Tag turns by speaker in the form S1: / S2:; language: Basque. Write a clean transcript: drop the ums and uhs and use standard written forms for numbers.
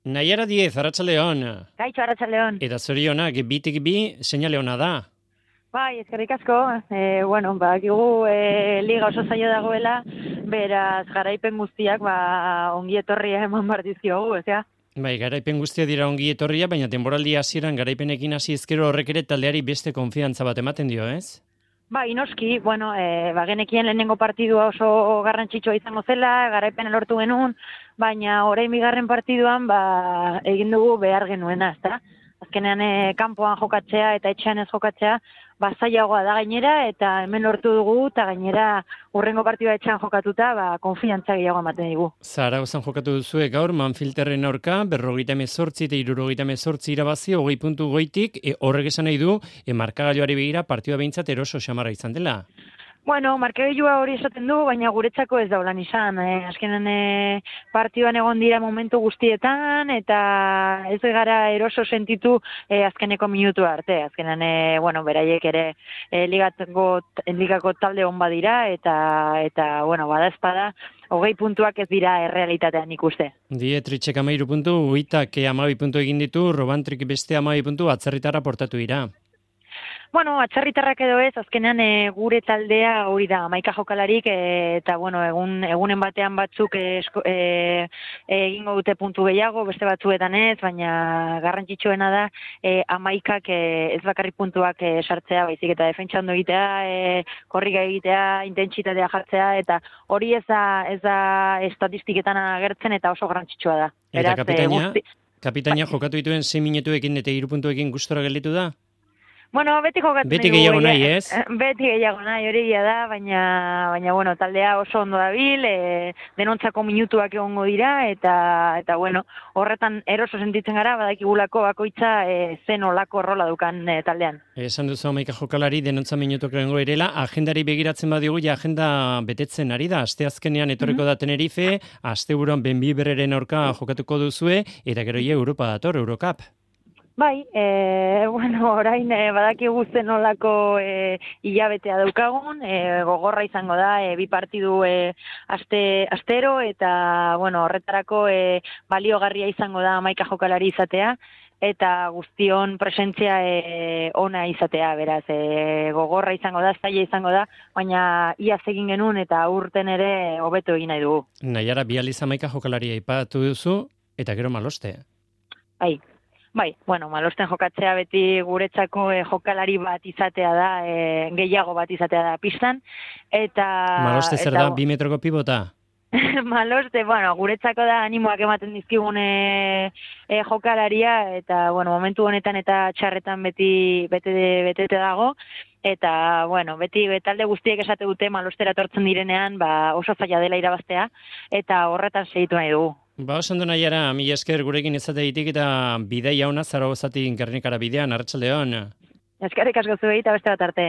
S1: Naiara 10, Arratsaldeon.
S2: Kaixo, Arratsaldeon.
S1: Eta zorionak, bitik bi, seinale ona da.
S2: Bai, eskerrik asko. Badakigu liga oso zaila dagoela, beraz garaipen guztiak ongi etorria eman behar dizkiogu, ezea?
S1: Bai, garaipen guztia dira ongi etorria, baina denboraldi hasieran garaipenekin hasi ezkero horrek ere taldeari beste konfiantza bat ematen dio, ez?
S2: Bai, noski, genekien lehenengo partidua oso garrantzitsua izango zela, garaipena lortu genuen, baina orain bigarren partiduan egin dugu behar genuena, ezta? Azkenean kanpoan jokatzea eta etxean ez jokatzea, zailagoa da gainera, eta hemen lortu dugu, eta gainera hurrengo partidua etxean jokatuta, konfiantza gehiago ematen digu.
S1: Zaragozan jokatu duzue gaur, Manfilterren aurka, 58 eta 78 irabazi, 20 puntu goitik, horrek esan nahi du, markagailuari begira partidua behintzat eroso xamarra izan dela.
S2: Markagailua hori esaten du, baina guretzako ez daulan izan. Azkenean partioan egon dira momentu guztietan, eta ez gara eroso sentitu azkeneko minutu arte. Azkenean, beraiek ere ligako talde hon badira, eta bada espada, 20 puntuak ez dira errealitatean ikuste.
S1: Dietritzek 13 puntu, Uitak 12 puntu egin ditu, Robantrik beste 12 puntu, atzerritarra portatu dira.
S2: Atzerritarrak edo ez, azkenean gure taldea hori da, 11 jokalarik, eta egunen batean batzuk egingo dute puntu gehiago, beste batzuetan ez, baina garrantzitsuena da 11ak ez bakarrik puntuak sartzea, baizik eta defentsa ondo egitea, korrika egitea, intentsitatea jartzea, eta hori ez da estatistiketan agertzen eta oso garrantzitsua da.
S1: Eta kapitaina jokatu dituen 6 minutuekin eta 3 puntuekin gustora gelditu da?
S2: Beti jokatzen
S1: beti gehiago nahi, ez?
S2: Beti gehiago nahi, hori da, baina taldea oso ondo dabil, denontzako minutuak egongo dira, eta horretan eroso sentitzen gara, badakigulako bakoitza zen olako rola dukan taldean.
S1: Esan duzu 11 jokalari denontza minutuak egongo erela, agendari begiratzen badiogu, agenda betetzen ari da, asteazkenean etorriko da Tenerife, asteburuan Benbiberreren aurka jokatuko duzue, eta gero Europa dator, Eurocup.
S2: Bai, orain badakigu zen olako hilabetea daukagun, gogorra izango da, 2 partidu astero, eta horretarako baliogarria izango da 11 jokalari izatea, eta guztion presentzia ona izatea, beraz, gogorra izango da, zaila izango da, baina iaz egin genuen eta urten ere hobeto egin nahi dugu.
S1: Naiara, bi aldiz 11 jokalari aipatu duzu, eta gero Maloste.
S2: Bai, Malosten jokatzea beti guretzako jokalari bat izatea da, gehiago bat izatea da pistan, eta...
S1: Maloste zer da, 2 metroko pibota?
S2: Maloste, guretzako da animoak ematen dizkigun jokalaria, eta momentu honetan eta txarretan beti betete dago, eta beti talde guztiek esate dute Malostera etortzen direnean oso zaila dela irabaztea, eta horretan segitu nahi dugu.
S1: Oso ondo Naiara, mila esker gurekin izateagatik eta bidaia ona Zaragozatik Gernikara bidean, Arratsaldeon.
S2: Eskerrik asko zuei eta beste bat arte.